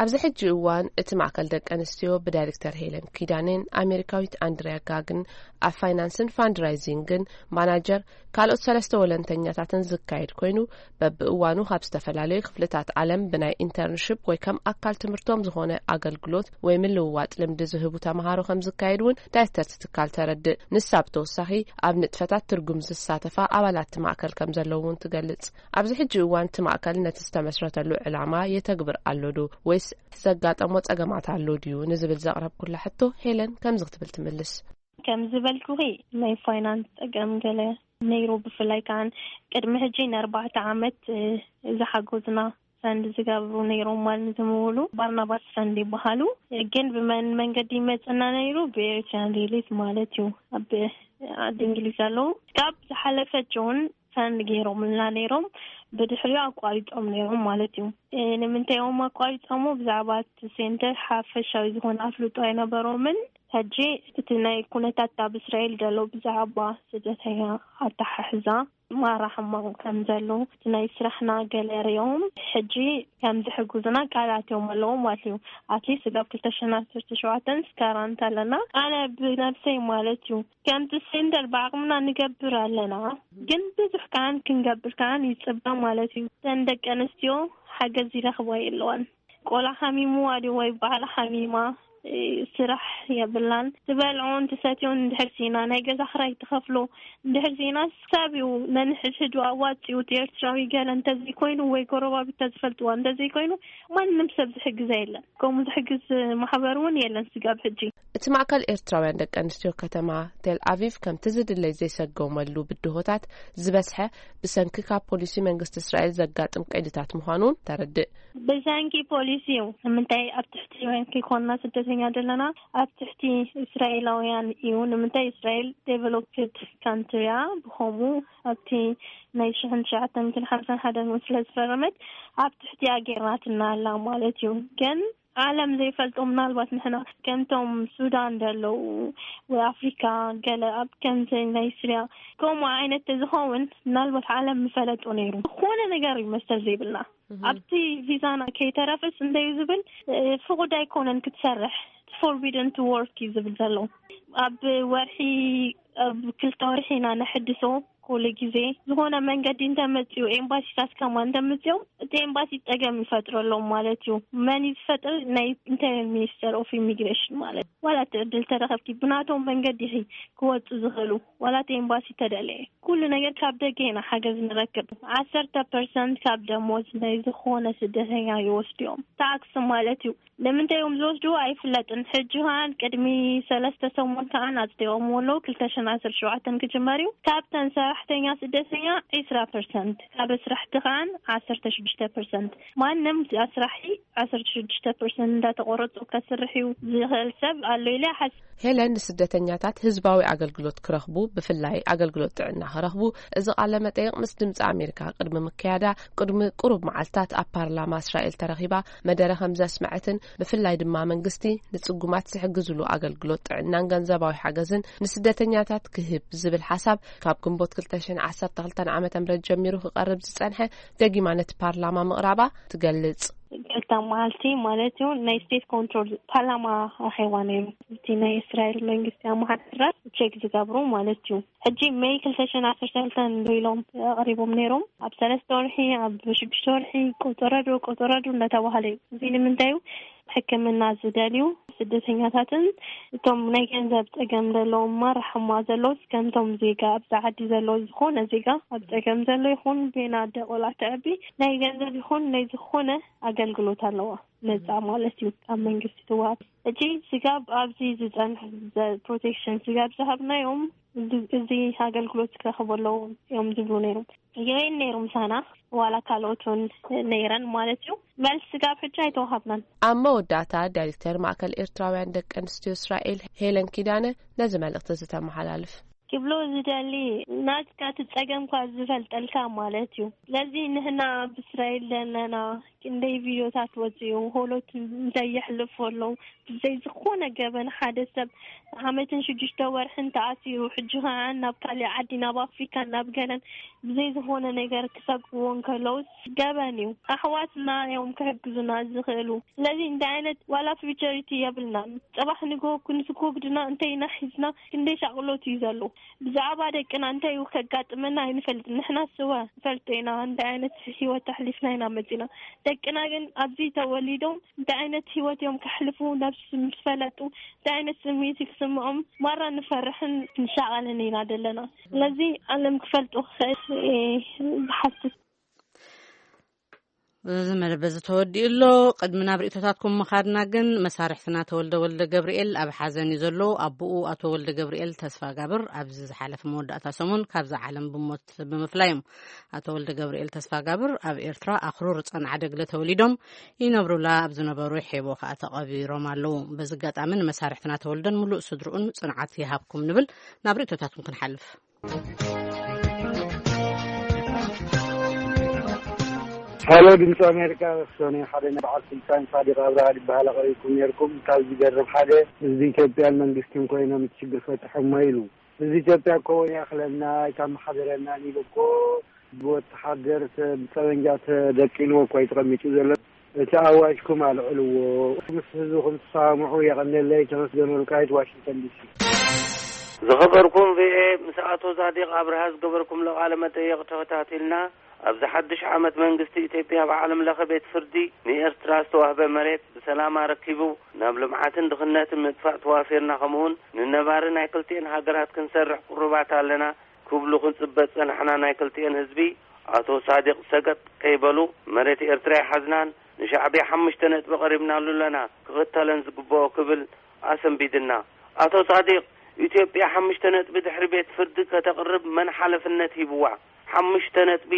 ኣብዚ ሕጂ እዋን እቲ ማእከል ደቂ ኣንስትዮ ብዳይሬክተር ሄለን ኪዳኔን ኣሜሪካዊት ኣንድሪያ ጋግን ኣብ ፋይናንስን ፋንድራይዚንግን ማናጀር ካልኦት ሰለስተ ወለንተኛታትን ዝካየድ ኮይኑ፣ በብእዋኑ ካብ ዝተፈላለዩ ክፍልታት ዓለም ብናይ ኢንተርንሽፕ ወይ ከም ኣካል ትምህርቶም ዝኾነ ኣገልግሎት ወይ ምልውዋጥ ልምዲ ዝህቡ ተምሃሮ ከም ዝካየድ እውን ዳይሬክተር እቲ ትካል ተረድእ። ንሳ ብተወሳኺ ኣብ ንጥፈታት ትርጉም ዝሳተፋ ኣባላት እቲ ማእከል ከም ዘለዉ እውን ትገልጽ። ኣብዚ ሕጂ እዋን እቲ ማእከል ነቲ ዝተመስረተሉ ዕላማ የተግብር ኣሎ ዶ ወይስ ዘጋጠሞ ጸገማት ኣሎ ድዩ ንዝብል ዘቕረብኩላ ሕቶ ሄለን ከምዚ ክትብል ትምልስ። ከም ዝበልኩኺ ናይ ፋይናንስ ጸገም ገለ ነይሩ፣ ብፍላይ ከዓን ቅድሚ ሕጂ ንኣርባዕተ ዓመት፣ እ፣ ዝሓገዙና ፈንድ ዝገብሩ ነይሮም ማለት ዝምውሉ ባርናባስ ፈንድ ይበሃሉ። ግን ብመን መንገዲ ይመጽና ነይሩ? ብኤርትራን ሪሊፍ ማለት እዩ። ኣብ ዓዲ እንግሊዝ ኣለዉ። ካብ ዝሓለፈ ጆን ፈንድ ገይሮምልና ነይሮም፣ ብድሕሪኡ ኣቋሪጾም ነይሮም ማለት እዩ። እ፣ ንምንታይ እዮም ኣቋሪጾሞ? ብዛዕባ እቲ ሴንተር ሓፈሻዊ ዝኾነ ኣፍልጦ ኣይነበሮምን። ሕጂ እቲ ናይ ኩነታት ኣብ እስራኤል ዘሎ ብዛዕባ ስደተኛ ኣተሓሕዛ ማራ ሕማቕ ከም ዘሎ፣ እቲ ናይ ስራሕና ገለ ሪኦም ሕጂ ከም ዝሕግዙና ቃል ኣትዮም ኣለዉ ማለት እዩ። ኣትሊስት ስጋብ ክልተ ሽሕን ዓሰርተ ሸውዓተን ስካራንት ኣለና። ኣነ ብነብሰይ ማለት እዩ፣ ከምቲ ሴንተር ብዓቕምና ንገብር ኣለና፣ ግን ብዙሕ ከዓን ክንገብር ከዓን ይጽበ ማለት እዩ። እተን ደቂ ኣንስትዮ ሓገዝ ይረኽባ የለዋን። ቆልዓ ሓሚምዋ ድዩ ወይ ባዕላ ሓሚማ፣ እ፣ ስራሕ የብላን። ትበልዖን ትሰትዮን እንድሕር ሲና፣ ናይ ገዛ ክራይ ትኸፍሎ እንድሕር ሲና፣ ሰብ እዩ ነንሕድሕዱ ኣዋጺኡ፣ እቲ ኤርትራዊ ገለ እንተዘይኮይኑ ወይ ጎረባብታ ዝፈልጥዋ እንተዘይኮይኑ፣ ማንም ሰብ ዝሕግዛ የለን። ከምኡ ዝሕግዝ ማሕበር እውን የለን ስጋብ ሕጂ። እቲ ማእከል ኤርትራውያን ደቂ ኣንስትዮ ከተማ ቴል ኣቪቭ ከምቲ ዝድለይ ዘይሰጎመሉ ብድሆታት ዝበዝሐ ብሰንኪ ካብ ፖሊሲ መንግስቲ እስራኤል ዘጋጥም ቀይድታት ምዃኑን ተረድእ። ብሰንኪ ፖሊሲ እዩ። ንምንታይ ኣብ ትሕቲ ወይን ከይኮንና ስደተኛ ዘለና? ኣብ ትሕቲ እስራኤላውያን እዩ። ንምንታይ እስራኤል ዴቨሎፕድ ካንትሪ እያ። ብኸምኡ ኣብቲ ናይ ሽሕን ትሽዓተ ሚእትን ሓምሳን ሓደን እውን ስለ ዝፈረመት ኣብ ትሕቲኣ ጌርናትና ኣላ ማለት እዩ። ግን ዓለም ዘይፈልጦ፣ ምናልባት ንሕና ከምቶም ሱዳን ዘለዉ ወይ ኣፍሪካ፣ ገለ ኣብ ከምዚ ናይ ስርያ ከምኡ ዓይነት ተዝኸውን፣ ምናልባት ዓለም ምፈለጡ ነይሩ። ዝኾነ ነገር እዩ መሰል ዘይብልና ኣብቲ ቪዛና ከይተረፈስ እንደዩ ዝብል። ፍቁድ ኣይኮነን ክትሰርሕ፣ forbidden to work እዩ ዝብል ዘሎ። ኣብ ወርሒ ኣብ ክልተ ወርሒ ኢና ነሕድሶ። ኩሉ ግዜ ዝኾነ መንገዲ እንተመፅኡ፣ ኤምባሲታት ከማ እንተመፅኦም፣ እቲ ኤምባሲ ፀገም ይፈጥረሎም ማለት እዩ። መን እዩ ዝፈጥር? ናይ ኢንተርነል ሚኒስተር ኦፍ ኢሚግሬሽን ማለት። ዋላ እቲ ዕድል ተረኸብኪ፣ ብናቶም መንገዲ ኢኺ ክወፁ ዝኽእሉ፣ ዋላ እቲ ኤምባሲ ተደለየ። ኩሉ ነገር ካብ ደገ ኢና ሓገዝ ንረክብ። ዓሰርተ ፐርሰንት ካብ ደሞዝ ናይ ዝኾነ ስደተኛ ይወስድዮም፣ ታክስ ማለት እዩ። ንምንታይ እዮም ዝወስድዎ ኣይፍለጥን። ሕጂ ከዓን ቅድሚ ሰለስተ ሰሙን ከዓን ኣፅዲቖምዎ ኣለዉ። ክልተ ሽሕን ዓሰርተ ሸውዓተን ክጅመር እዩ። ካብተን ሰራሕተኛ ስደተኛ ዒስራ ፐርሰንት፣ ካብ ኣስራሕቲ ከዓን ዓሰርተ ሽዱሽተ ፐርሰንት። ማንም ኣስራሒ ዓሰርተ ሽዱሽተ ፐርሰንት እንዳተቆረፁ ከስርሕ እዩ ዝኽእል ሰብ ኣሎ ኢለ ይሓስብ። ሄለን ንስደተኛታት ህዝባዊ ኣገልግሎት ክረኽቡ፣ ብፍላይ ኣገልግሎት ጥዕና ክረኽቡ፣ እዚ ቃለ መጠይቕ ምስ ድምፂ ኣሜሪካ ቅድሚ ምክያዳ፣ ቅድሚ ቁሩብ መዓልታት ኣብ ፓርላማ እስራኤል ተረኺባ መደረ ከም ዘስመዐትን፣ ብፍላይ ድማ መንግስቲ ንጽጉማት ዝሕግዝሉ ኣገልግሎት ጥዕናን ገንዘባዊ ሓገዝን ንስደተኛታት ክህብ ዝብል ሓሳብ ካብ ግንቦት ክልተ ሽሕን ዓሰርተ ክልተን ዓመተ ምህረት ጀሚሩ ክቐርብ ዝጸንሐ፣ ደጊማ ነቲ ፓርላማ ምቕራባ ትገልጽ። ክልተ መዓልቲ ማለት እዩ፣ ናይ ስቴት ኮንትሮል ፓርላማ ኣኼባ ነይሩ። እቲ ናይ እስራኤል መንግስቲ ኣመሓደራት ቼክ ዝገብሩ ማለት እዩ። ሕጂ ሜይ ክልተ ሽሕን ዓሰርተ ክልተን ዶ ኢሎም ኣቕሪቦም ነይሮም። ኣብ ሰለስተ ወርሒ፣ ኣብ ሽዱሽተ ወርሒ፣ ቆጸረዶ ቆጸረዶ እንዳተባሃለ እዩ። እዚ ንምንታይ እዩ? ሕክምና ዝደልዩ ስደተኛታትን እቶም ናይ ገንዘብ ጸገም ዘለዎም ማራሕማ ዘለውስ ከምቶም ዜጋ ኣብዚ ዓዲ ዘለዎ ዝኾነ ዜጋ ኣብ ጸገም ዘሎ ይኹን ቤና ኣደ ቆልዓ ተዕቢ ናይ ገንዘብ ይኹን ናይ ዝኾነ ኣገልግሎት ኣለዋ። ነጻ ማለት እዩ ካብ መንግስቲ ትወሃብ። እቲ ስጋብ ኣብዚ ዝጸንሕ ፕሮቴክሽን ስጋብ ዝሃብናዮም እዚ ኣገልግሎት ክረኽቡ ኣለዉ እዮም ዝብሉ ነይሮም። ይኸይን ነይሩ ምሳና ዋላ ካልኦት እውን ነይረን ማለት እዩ። መልስ ስጋብ ሕጂ ኣይተዋሃብናን። ኣብ መወዳእታ ዳይሬክተር ማእከል ኤርትራውያን ደቂ ኣንስትዮ እስራኤል ሄለን ኪዳነ ነዚ መልእኽቲ ዝተመሓላልፍ። ክብሎ ዝደሊ ናትካ እቲ ጸገምካ ዝፈልጠልካ ማለት እዩ። ስለዚ ንሕና ኣብ እስራኤል ዘለና ክንደይ ቪድዮታት ወፅኡ፣ ሆሎት እንታይ የሕልፉ ኣለዉ። ብዘይ ዝኾነ ገበን ሓደ ሰብ ዓመትን ሽዱሽተ ወርሕን ተኣሲሩ፣ ሕጂ ከዓ ናብ ካሊእ ዓዲ፣ ናብ ኣፍሪካ፣ ናብ ገለን ብዘይ ዝኾነ ነገር ክሰግዎ እንከለውስ ገበን እዩ። ኣሕዋትና እዮም ክሕግዙና ዝኽእሉ። ስለዚ እንታይ ዓይነት ዋላ ፊውቸሪቲ የብልናን። ጽባሕ ንግሆ ክንስኮግድና እንተይና ሒዝና ክንደይ ሻቕሎት እዩ ዘሎ። ብዛዕባ ደቅና እንታይ እዩ ከጋጥመና ኣይንፈልጥን። ንሕና ስወ ንፈልጦ ኢና እንታይ ዓይነት ህይወት ኣሕሊፍና ኢና መጺና። ደቅና ግን ኣብዚ ተወሊዶም እንታይ ዓይነት ህይወት እዮም ከሕልፉ ነብስ ምስ ፈለጡ እንታይ ዓይነት ስምዒት እዩ ክስምዖም ማራ ንፈርሕን ንሻቐልን ኢና ዘለና። ስለዚ ዓለም ክፈልጡ ክኽእል እየ ዝሓስብ። እዚ መደብ እዚ ተወዲኡ ኣሎ። ቅድሚ ናብ ርእይቶታትኩም ምኻድና ግን መሳርሕትና ተወልደ ወልደ ገብርኤል ኣብ ሓዘን እዩ ዘሎ። ኣቦኡ ኣቶ ወልደ ገብርኤል ተስፋጋብር ኣብዚ ዝሓለፈ መወዳእታ ሰሙን ካብዛ ዓለም ብሞት ብምፍላዮም። ኣቶ ወልደ ገብርኤል ተስፋጋብር ኣብ ኤርትራ ኣኽሩር ጸንዓደግለ ተወሊዶም ይነብሩላ ኣብ ዝነበሩ ሔቦ ከኣ ተቐቢሮም ኣለዉ። በዚ ኣጋጣሚ ንመሳርሕትና ተወልደን ምሉእ ስድርኡን ጽንዓት ይሃብኩም ንብል። ናብ ርእይቶታትኩም ክንሓልፍ። ሃሎ ድምፂ ኣሜሪካ፣ ሰኑይ ሓደ ናይ በዓል ስልጣን ሳዲቅ ኣብርሃ ዝበሃል ኣቕሪብኩም ነይርኩም። ካብ ዝገርም ሓደ ህዝቢ ኢትዮጵያን መንግስትን ኮይኖም እቲ ሽግር ፈትሖሞ ኢሉ። ህዝቢ ኢትዮጵያ እኮ ይኣኽለና ኣይተመሓደረናን ኢሉ እኮ ብወተሓደር ተ- ብጠበንጃ ተደቂንዎ እኮ እዩ ተቐሚጡ ዘሎ። እቲ ኣዋጅኩም ኣልዕልዎ። ምስ ህዝብኹም ትሰማምዑ። የቐንየለይ። ተመስገን ወልቃይት፣ ዋሽንግተን ዲሲ። ዝኸበርኩም ቪኦኤ፣ ምስ ኣቶ ዛዲቅ ኣብርሃ ዝገበርኩምሎ ቃለ መጠይቕ ተኸታቲልና፣ ኣብዚ ሓድሽ ዓመት መንግስቲ ኢትዮጵያ ኣብ ዓለም ለኸ ቤት ፍርዲ ንኤርትራ ዝተዋህበ መሬት ብሰላም ኣረኪቡ ናብ ልምዓትን ድኽነትን ምጥፋእ ተዋፊርና፣ ከምኡውን ንነባሪ ናይ ክልቲኤን ሃገራት ክንሰርሕ ቅሩባት ኣለና ክብሉ ክንጽበ ዝጸናሕና ናይ ክልቲኤን ህዝቢ ኣቶ ሳዲቅ ሰገጥ ከይበሉ መሬት ኤርትራ ይሓዝናን ንሻዕብያ ሓሙሽተ ነጥቢ ቀሪብናሉ ኣለና ክኽተለን ዝግብኦ ክብል ኣሰንቢድና። ኣቶ ሳዲቅ፣ ኢትዮጵያ ሓሙሽተ ነጥቢ ድሕሪ ቤት ፍርዲ ከተቕርብ መን ሓለፍነት ሂብዋ? ሓሙሽተ ነጥቢ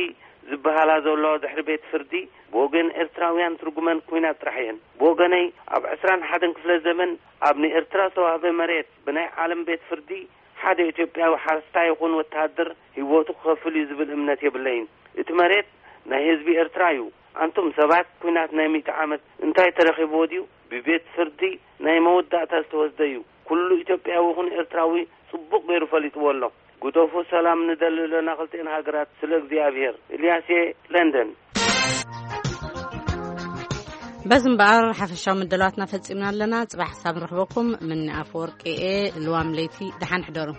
ዝበሃላ ዘሎ ድሕሪ ቤት ፍርዲ ብወገን ኤርትራውያን ትርጉመን ኩናት ጥራሕ እየን። ብወገነይ ኣብ ዕስራን ሓደን ክፍለ ዘመን ኣብ ንኤርትራ ዝተዋህበ መሬት ብናይ ዓለም ቤት ፍርዲ ሓደ ኢትዮጵያዊ ሓረስታይ ይኹን ወተሃደር ህይወቱ ክኸፍል እዩ ዝብል እምነት የብለይን። እቲ መሬት ናይ ህዝቢ ኤርትራ እዩ። ኣንቱም ሰባት፣ ኲናት ናይ ሚእቲ ዓመት እንታይ ተረኺብዎ ድዩ? ብቤት ፍርዲ ናይ መወዳእታ ዝተወስደ እዩ። ኩሉ ኢትዮጵያዊ ይኹን ኤርትራዊ ጽቡቕ ገይሩ ፈሊጥዎ ኣሎ። ግደፉ፣ ሰላም ንደሊ ኣለና ክልቲኤን ሃገራት፣ ስለ እግዚኣብሔር። ኢልያስየ፣ ለንደን። በዚ እምበኣር ሓፈሻዊ መደላዋትና ፈጺምና ኣለና። ጽባሕ ክሳብ ንረኽበኩም፣ ምኒ ኣፈወርቂ እየ። ልዋም ለይቲ፣ ደሓን ሕደሩ።